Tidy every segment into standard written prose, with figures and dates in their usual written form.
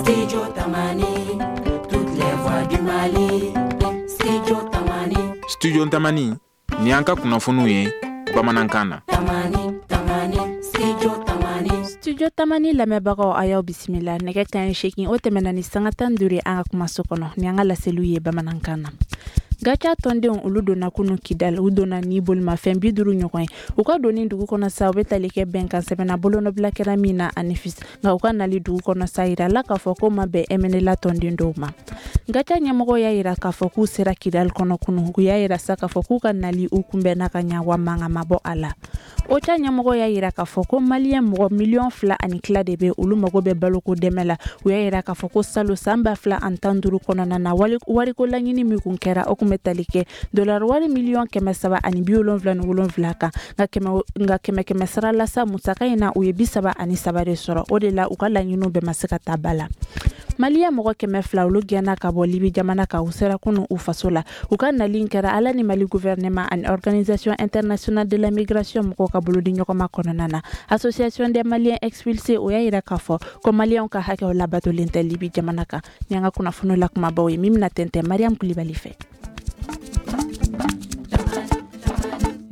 Studio Tamani, toutes les voix du Mali. Studio Tamani. Studio Tamani, ni an ka kunnafoniw ye bamanankan na. Tamani, Tamani, Studio Tamani. Studio Tamani lamɛnbagaw, a y'aw bisimila. Nɛgɛ kanɲɛ 8, o tɛmɛna ni sanga 15 ye an ka kumaso kɔnɔ ni an ka laseliw ye bamanankan na. GATIA tɔndenw, olu donna kunu Kidal. U donna ni bolimafɛn 50 ɲɔgɔn ye. U ka donni dugu kɔnɔ sa, u bɛ tali kɛ bɛnkan sɛbɛnna bolonɔbila kɛra min na Anefis. Nka u ka nali dugu kɔnɔ sa, yirala k'a fɔ ko ma bɛn MNLA tɔnden dɔw ma. GATIA ɲɛmɔgɔ y'a yira k'a fɔ k'u sera Kidal kɔnɔ kunu. U y'a yira sa k'a fɔ k'u ka nali, u kunbɛnna ka ɲa, wa mankan ma bɔ a la. OCHA ɲɛmɔgɔ y'a yira k'a fɔ ko Maliyɛn mɔgɔ miliyɔn 2.5 de bɛ, olu mago bɛ baloko dɛmɛ la. U y'a yira k'a fɔ ko salo san 2015 kɔnɔna na, wariko laɲini min kun kɛra, o kun bɛ tali kɛ dolari wari miliyɔn 377 kan. Nka kɛmɛ kɛmɛ sara la sa, musaka in na, u ye 33 de sɔrɔ. O de la, u ka laɲiniw bɛɛ ma se ka ta ba la. Maliyɛn mɔgɔ 200, olu gɛnna ka bɔ Libi jamana kan. U sera kunu u faso la. U ka nali kɛra ala ni Mali gouvernement ani Organisation internationale de la migration mɔgɔw ka bolodi ɲɔgɔnma kɔnɔna na. Association des Maliens expulsés, o y'a yira k'a fɔ ko Maliyɛnw ka hakɛw labatolen tɛ Libi jamana kan. Ni an ka kunnafoni la kumabaw ye min bɛna tɛntɛn Mariam Kulibali fɛ.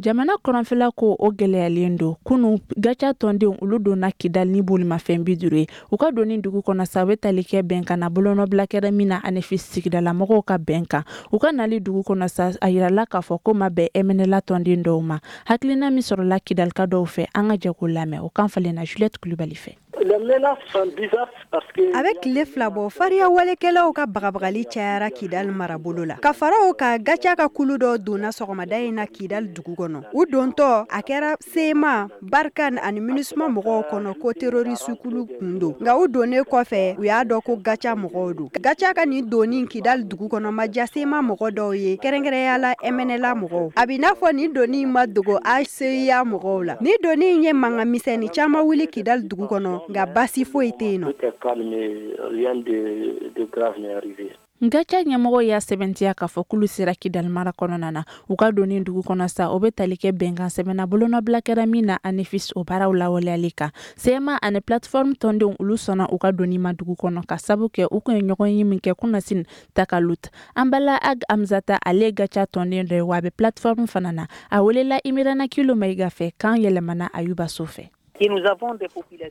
Jamana kɔrɔnfɛla ko, o gɛlɛyalen don. Kunu, GATIA tɔndenw, olu donna Kidal ni bolimafɛn 50 ye. U ka donni dugu kɔnɔ sa, u bɛ tali kɛ bɛnkan na bolonɔbila kɛra min na Anefis, sigidalamɔgɔw ka bɛn kan. U ka nali dugu kɔnɔ sa, a yirala k'a fɔ ko ma bɛn MNLA tɔnden dɔw ma. Hakilina min sɔrɔla Kidalika dɔw fɛ, an ka jɛ k'o lamɛn. O kan falenna Juliette Kulibali fɛ. A bɛ tile 2 bɔ, fariya walekɛlaw ka bagabagali cayara Kidali marabolo la. Ka fara o kan, GATIA ka kulu dɔ donna sɔgɔmada in na Kidali dugu kɔnɔ. U dontɔ, a kɛra CMA, Barkhane ani MINUSMA mɔgɔw kɔnɔ ko terroriste kulu kun don. Nka u donnen kɔfɛ, u y'a dɔn ko GATIA mɔgɔw don. GATIA ka nin donni Kidali dugu kɔnɔ ma diya CMA mɔgɔ dɔw ye, kɛrɛnkɛrɛnya la MNLA mɔgɔw. A b'i n'a fɔ nin donni ma dogo HCUA mɔgɔw la. Nin donni in ye mankan misɛnnin caman wuli Kidali dugu kɔnɔ, nka basi foyi tɛ yen nɔ. GATIA ɲɛmɔgɔ y'a sɛbɛntiya k'a fɔ k'olu sera Kidali mara kɔnɔna na. U ka donni dugu kɔnɔ sa, o bɛ tali kɛ bɛnkan sɛbɛnna bolonɔbila kɛra min na Anefis, o baaraw lawaleyali kan. CMA ani plateforme tɔndenw, olu sɔnna u ka donni ma dugu kɔnɔ, ka sabu kɛ u kun ye ɲɔgɔn ye min kɛ kunasini Takalut. Anbala Ag Amzata, ale ye GATIA tɔnden dɔ ye, wa a bɛ plateforme fana na. A welela Imirana Kilo Mayiga fɛ, kan yɛlɛmana Ayuba So fɛ.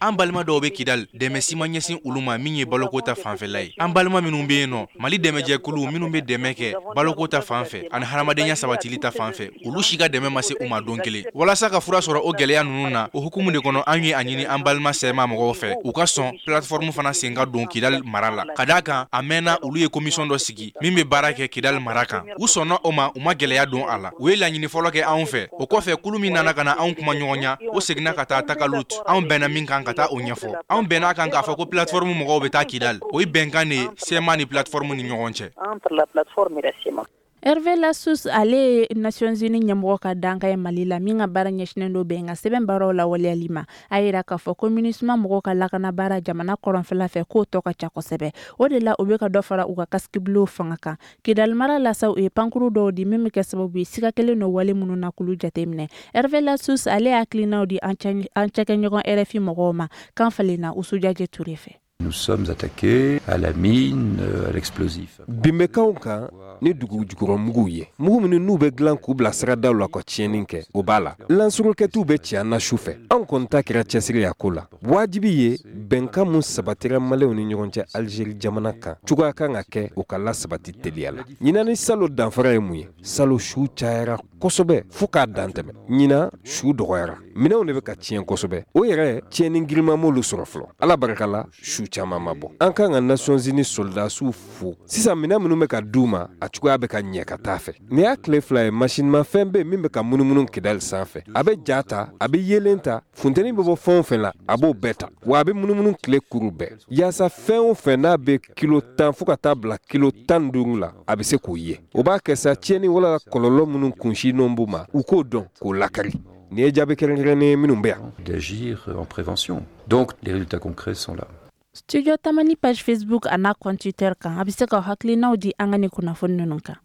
An balima dɔw bɛ Kidali, dɛmɛ si ma ɲɛsin olu ma min ye baloko ta fanfɛla ye. An balima minnu bɛ yen nɔ, Mali dɛmɛjɛkulu minnu bɛ dɛmɛ kɛ baloko ta fan fɛ ani hadamadenya sabatili ta fan fɛ, olu si ka dɛmɛ ma se u ma don kelen. Walasa ka fura sɔrɔ o gɛlɛya ninnu na, o hukumu de kɔnɔ, an ye a ɲini an balima CMA mɔgɔw fɛ, u ka sɔn plateforme fana sen ka don Kidali mara la, ka d'a kan a mɛnna olu ye commission dɔ sigi min bɛ baara kɛ Kidali mara kan. U sɔnna o ma, u ma gɛlɛya don a la. U ye laɲini fɔlɔ kɛ anw fɛ. O kɔfɛ, kulu min nana ka na anw kuma ɲɔgɔnya, o seginna ka taa Takalut. Anw bɛnna min kan, ka taa o ɲɛfɔ. Anw bɛnna kan k'a fɔ ko plateforme mɔgɔw bɛ taa Kidal. O ye bɛnkan de ye CMA ni plateforme ni ɲɔgɔn cɛ. Hervé Ladsous, ale ye Nations Unies ɲɛmɔgɔ ka dankan ye Mali la, min ka baara ɲɛsinnen don bɛnkan sɛbɛn baaraw lawaleyali ma, a yira k'a fɔ ko MINUSMA mɔgɔw ka lakana baara jamana kɔrɔnfɛla fɛ, k'o tɔ ka ca kosɛbɛ. O de la, u bɛ ka dɔ fara u ka casque bleu fanga kan. Kidali mara la sa, u ye pankuru dɔw di min bɛ kɛ sababu ye siga kelen don wale minnu na k'olu jateminɛ. Hervé Ladsous, ale ye hakilinaw di an cakɛɲɔgɔn RFI mɔgɔw ma. Kan falenna Usujaje Ture fɛ. Nous sommes attaqués à la mine, à l'explosif. Bin bɛ k'anw kan ni dugu jukɔrɔ ye, mugu minnu n'u bɛ dilan k'u bila siradaw la ka tiɲɛni kɛ, o b'a la. Lance-roquettew bɛ ci an na su fɛ. Anw kɔni ta kɛra cɛsiri a ko la. Wajibi ye, bɛnkan mun sabatira Maliyɛnw ni ɲɔgɔn cɛ Alizeri jamana kan, cogoya kan ka kɛ o ka lasabati teliya la. Ɲinan ni salo danfara ye mun ye? Salo, su cayara kosɛbɛ fo k'a dan tɛmɛ. Ɲinan, su dɔgɔyara, minɛnw de bɛ ka tiɲɛ kosɛbɛ. O yɛrɛ tiɲɛni girinman m'olu sɔrɔ fɔlɔ. Ala barika la, su caman ma bɔ. An kan ka Nations Unies soldasiw fo. Sisan, minɛn minnu bɛ ka d'u ma, a cogoya bɛ ka ɲɛ ka taa fɛ. Nin y'a tile 2 ye, masinimafɛn bɛ min bɛ ka munumunu Kidali sanfɛ. A bɛ ja ta, a bɛ yeelen ta, funteni bɛ bɔ fɛn o fɛn la, a b'o bɛɛ ta, wa a bɛ munumunu tile kuru bɛɛ, yaasa fɛn o fɛn n'a bɛ kilo 10 fo ka taa bila kilo 15 la, a bɛ se k'o ye. O b'a kɛ sa, tiɲɛni wala kɔlɔlɔ minnu kunsinnen b'u ma, u k'o dɔn k'o lakari. Nin ye jaabi kɛrɛnkɛrɛnnen ye minnu bɛ yan. D'agir en prévention. Donc les résultats concrets sont là. Studio Tamani page Facebook a n'a compte Twitter kan, a bɛ se ka hakilinaw di an ka nin kunnafoni ninnu kan.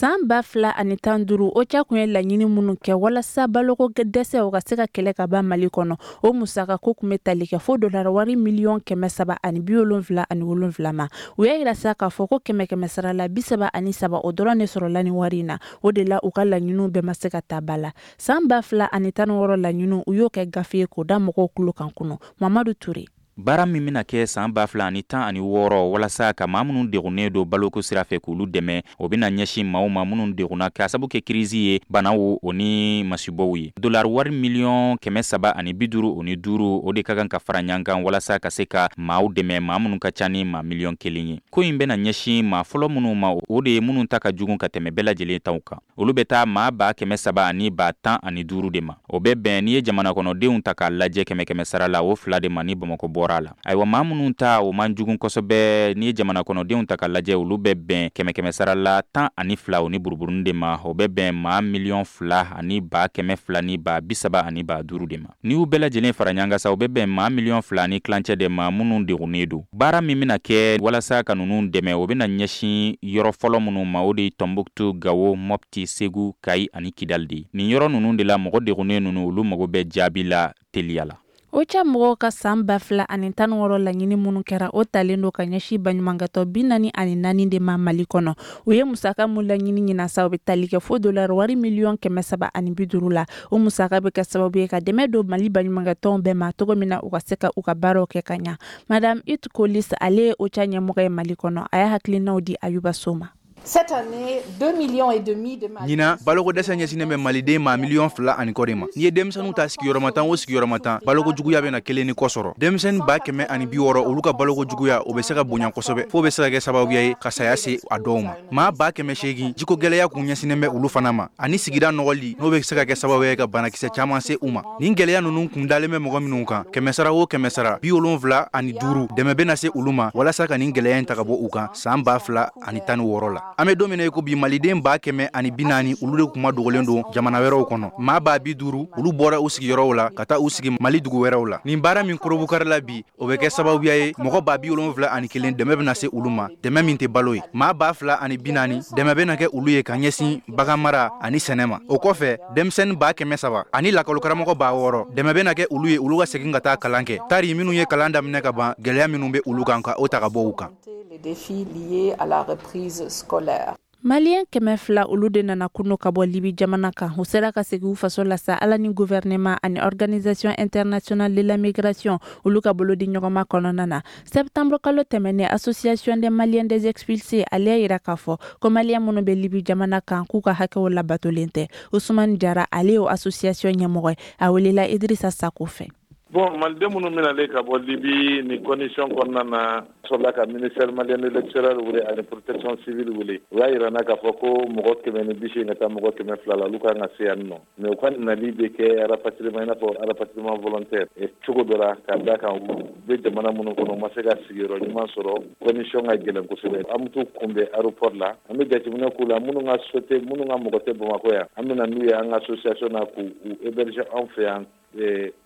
San 2015, OCHA kun ye laɲini minnu kɛ walasa baloko dɛsɛ o ka se ka kɛlɛ ka ban Mali kɔnɔ, o musaka ko kun bɛ tali kɛ fo dollar wari miliyɔn 377 ma. U y'a yira sa k'a fɔ ko kɛmɛ kɛmɛ sara la, 33, o dɔrɔn de sɔrɔla ni wari in na. O de la, u ka laɲiniw bɛɛ ma se ka ta ba la. San 2016 laɲiniw, u y'o kɛ gafe ye k'o da mɔgɔw tulo kan kunu. Mamadu Ture. Baara min bɛna kɛ san 2016 walasa ka maa minnu degunnen don baloko sira fɛ k'olu dɛmɛ, o bɛna ɲɛsin maaw ma minnu degunna k'a sabu kɛ kirisi ye, banaw o ni masibaw ye. Dolari wari miliyɔn 355, o de ka kan ka fara ɲɔgɔn kan walasa ka se ka maaw dɛmɛ, maa minnu ka ca ni maa miliyɔn 1 ye. Ko in bɛna ɲɛsin maa fɔlɔ minnu ma, o de ye minnu ta ka jugu ka tɛmɛ bɛɛ lajɛlen taw kan. Olu bɛ taa maa 315,000 de ma. O bɛ bɛn, n'i ye jamana kɔnɔdenw ta k'a lajɛ kɛmɛ kɛmɛ sara la, o fila de ma ni Bamakɔ bɔra a la. Ayiwa, maa minnu ta o man jugu kosɛbɛ, n'i ye jamana kɔnɔdenw ta k'a lajɛ, olu bɛ bɛn kɛmɛ kɛmɛ sara la 12 o ni buruburunin de ma. O bɛ bɛn maa miliyɔn 2 ni 200 ni 35 de ma. N'i y'u bɛɛ lajɛlen fara ɲɔgɔn kan sa, o bɛ bɛn maa miliyɔn 2.5 de ma minnu degunnen don. Baara min bɛna kɛ walasa ka ninnu dɛmɛ, o bɛna ɲɛsin yɔrɔ fɔlɔ minnu ma, o de ye Tɔnbuktu, Gawo, Mɔpti, Segu, Kayi ani Kidali de ye. Nin yɔrɔ ninnu de la, mɔgɔ degunnen ninnu, olu mago bɛ jaabi la teliya la. OCHA mɔgɔw ka san 2016 laɲini minnu kɛra, o talen don ka ɲɛsin baɲumankɛtɔ 44 de ma Mali kɔnɔ. U ye musaka mun laɲini ɲina sa, o bɛ tali kɛ fo dollar wari miliyɔn 350 la. O musaka bɛ kɛ sababu ye ka dɛmɛ don Mali baɲumankɛtɔnw bɛɛ ma cogo min na u ka se ka u ka baaraw kɛ ka ɲa. Madame Ute Kolis, ale ye OCHA ɲɛmɔgɔ ye Mali kɔnɔ, a y'a hakilinaw di Ayuba So ma. Cette année, 2 millions et demi de Ɲinan, baloko dɛsɛ ɲɛsinnen bɛ maliden maa miliyɔn 2.5 de ma. N'i ye denmisɛnninw ta, sigiyɔrɔma 10 o sigiyɔrɔma 10, baloko juguya bɛna kelen ni kɔ sɔrɔ. Denmisɛnnin 160,000, olu ka baloko juguya, o bɛ se ka bonya kosɛbɛ fo bɛ se ka kɛ sababuya ye ka saya se a dɔw ma. Maa 800,000, jiko gɛlɛya kun ɲɛsinnen bɛ olu fana ma, ani sigida nɔgɔli, n'o bɛ se ka kɛ sababuya ye ka banakisɛ caman se u ma. Nin gɛlɛya ninnu kun dalen bɛ mɔgɔ minnu kan, kɛmɛ sara o kɛmɛ sara 75, dɛmɛ bɛna se olu ma walasa ka nin gɛlɛya in ta ka bɔ u kan san 2016 la. An bɛ don min na i ko bi, maliden 140,000, olu de kuma dogolen don jamana wɛrɛw kɔnɔ. Maa 50,000, olu bɔra u sigiyɔrɔw la ka taa u sigi Mali dugu wɛrɛw la. Nin baara min korobukari la bi, o bɛ kɛ sababuya ye mɔgɔ 71,000, dɛmɛ bɛna se olu ma, dɛmɛ min tɛ balo ye. Maa 2040, dɛmɛ bɛna kɛ olu ye ka ɲɛsin bagan mara ani sɛnɛ ma. O kɔfɛ, denmisɛnnin 300,000 ani lakɔlikaramɔgɔ 6000, dɛmɛ bɛna kɛ olu ye olu ka segin ka taa kalan kɛ, tari minnu ye kalan daminɛ ka ban, gɛlɛya minnu bɛ olu kan, ka o ta ka bɔ u kan. Les défis liés à la reprise scolaire. Maliyɛn 200, olu de nana kunu ka bɔ Libi jamana kan. U sera ka segin u faso la sa, Ala ni gouvernement ani Organisation internationale de la migration, olu ka bolo di ɲɔgɔnma kɔnɔna na. Septembre kalo tɛmɛnen, Association des Maliens des expulsés, ale y'a yira k'a fɔ ko maliyɛn minnu bɛ Libi jamana kan, k'u ka hakɛw labatolen tɛ. Usumani Jara, ale y'o association ɲɛmɔgɔ ye, a welela Idrissa Sako fɛ. Bon, maliden minnu bɛnalen ka bɔ Libi ni condition kɔnɔna na, sɔrɔla ka ministère malien de l'extérieur wele ani protection civile wele. U y'a yira n na k'a fɔ ko mɔgɔ 180 ka taa mɔgɔ 200 la, olu kan ka se yan nɔ. Mais u ka nali bɛ kɛ rapatriement, i n'a fɔ rapatriement volontaire cogo dɔ la, ka da kan u bɛ jamana minnu kɔnɔ, u ma se ka sigiyɔrɔ ɲuman sɔrɔ, condition ka gɛlɛn kosɛbɛ. An bɛ t'u kunbɛn aéroport la, an bɛ jateminɛ k'u la. Minnu ka so tɛ, minnu ka mɔgɔ tɛ Bamakɔ yan, an bɛ na n'u ye an ka association na k'u héberger anw fɛ yan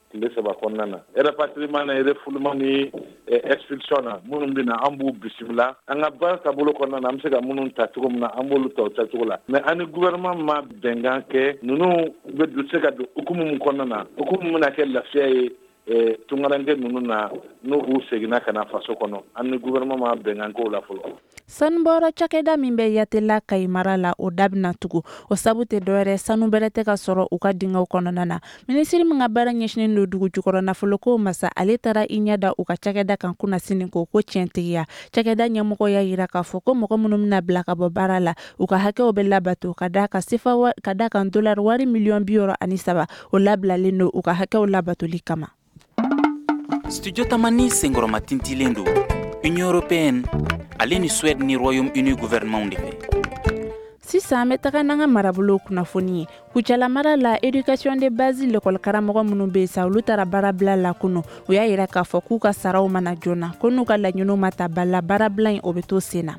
tile 3 kɔnɔna na. Rapatriement na, refoulement ni expulsion na, minnu bɛ na, an b'u bisimila an ka baara taabolo kɔnɔna na. An bɛ se ka minnu ta cogo min na, an b'olu ta o tacogo la. Mais an ni gouvernement ma bɛnkan kɛ ninnu bɛ se ka don hukumu min kɔnɔna na, hukumu min bɛna kɛ lafiya ye tunkaranke ninnu na n'u u seginna ka na faso kɔnɔ. An ni gouvernement ma bɛnkan k'o la fɔlɔ. Sanubɔyɔrɔ cakɛda min bɛ Yatela, Kayi mara la, o da bɛna tugu. O sabu tɛ dɔwɛrɛ, sanu bɛrɛ tɛ ka sɔrɔ u ka dingɛw kɔnɔna na. Minisiri min ka baara ɲɛsinen don dugu jukɔrɔ nafoloko masa, ale taara i ɲɛ da u ka cakɛda kan kunnasini ko ko tiɲɛtigiya. Cakɛda ɲɛmɔgɔ y'a yira k'a fɔ ko mɔgɔ minnu bɛna bila ka bɔ baara la, u ka hakɛw bɛ labato, ka da ka sefa ka da kan dolari wari miliyɔn 63, o labilalen don u ka hakɛw labatoli kama. Studio Tamani senkɔrɔma tintilen don Union européenne ale ni Suède ni Royaume-Uni gouvernement de fɛ. Sisan, an bɛ taga n'an ka marabolo kunnafoni ye. Kucala mara la, éducation de base lekɔli karamɔgɔ minnu bɛ yen sa, olu taara baarabila la kunu. U y'a yira k'a fɔ k'u ka saraw mana joona, ko n'u ka laɲiniw ma ta ba la, baarabila in, o bɛ to sen na.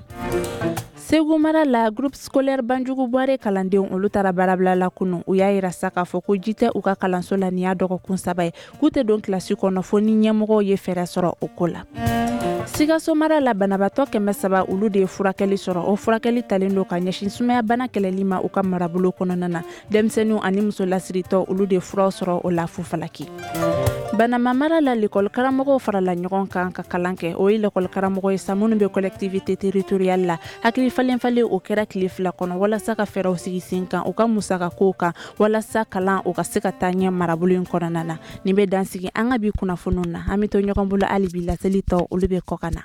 Segu mara la, groupe scolaire Banjugu Buware kalandenw, olu taara baarabila la kunu. U y'a yira sa k'a fɔ ko ji tɛ u ka kalanso la nin y'a dɔgɔkun 3 ye, k'u tɛ don kilasi kɔnɔ fo ni ɲɛmɔgɔw ye fɛɛrɛ sɔrɔ o ko la. Sikaso mara la, banabaatɔ 300, olu de ye furakɛli sɔrɔ. O furakɛli talen don ka ɲɛsin sumayabana kɛlɛli ma u ka marabolo kɔnɔna na. Denmisɛnninw ani muso lasiritɔ, olu de furaw sɔrɔ o la Fufalaki. Banama mara la, lekɔli karamɔgɔw farala ɲɔgɔn kan ka kalan kɛ. O ye lekɔli karamɔgɔ ye sa minnu bɛ collectivité territoriale la. Hakili falen falen o kɛra tile 2 kɔnɔ walasa ka fɛɛrɛw sigi sen kan u ka musaka kow kan, walasa kalan o ka se ka taa ɲɛ marabolo in kɔnɔna na. Nin bɛ dansigi an ka bi kunnafoniw na. An bɛ to ɲɔgɔn bolo hali bi, laseli tɔ, olu bɛ kɔ ka na.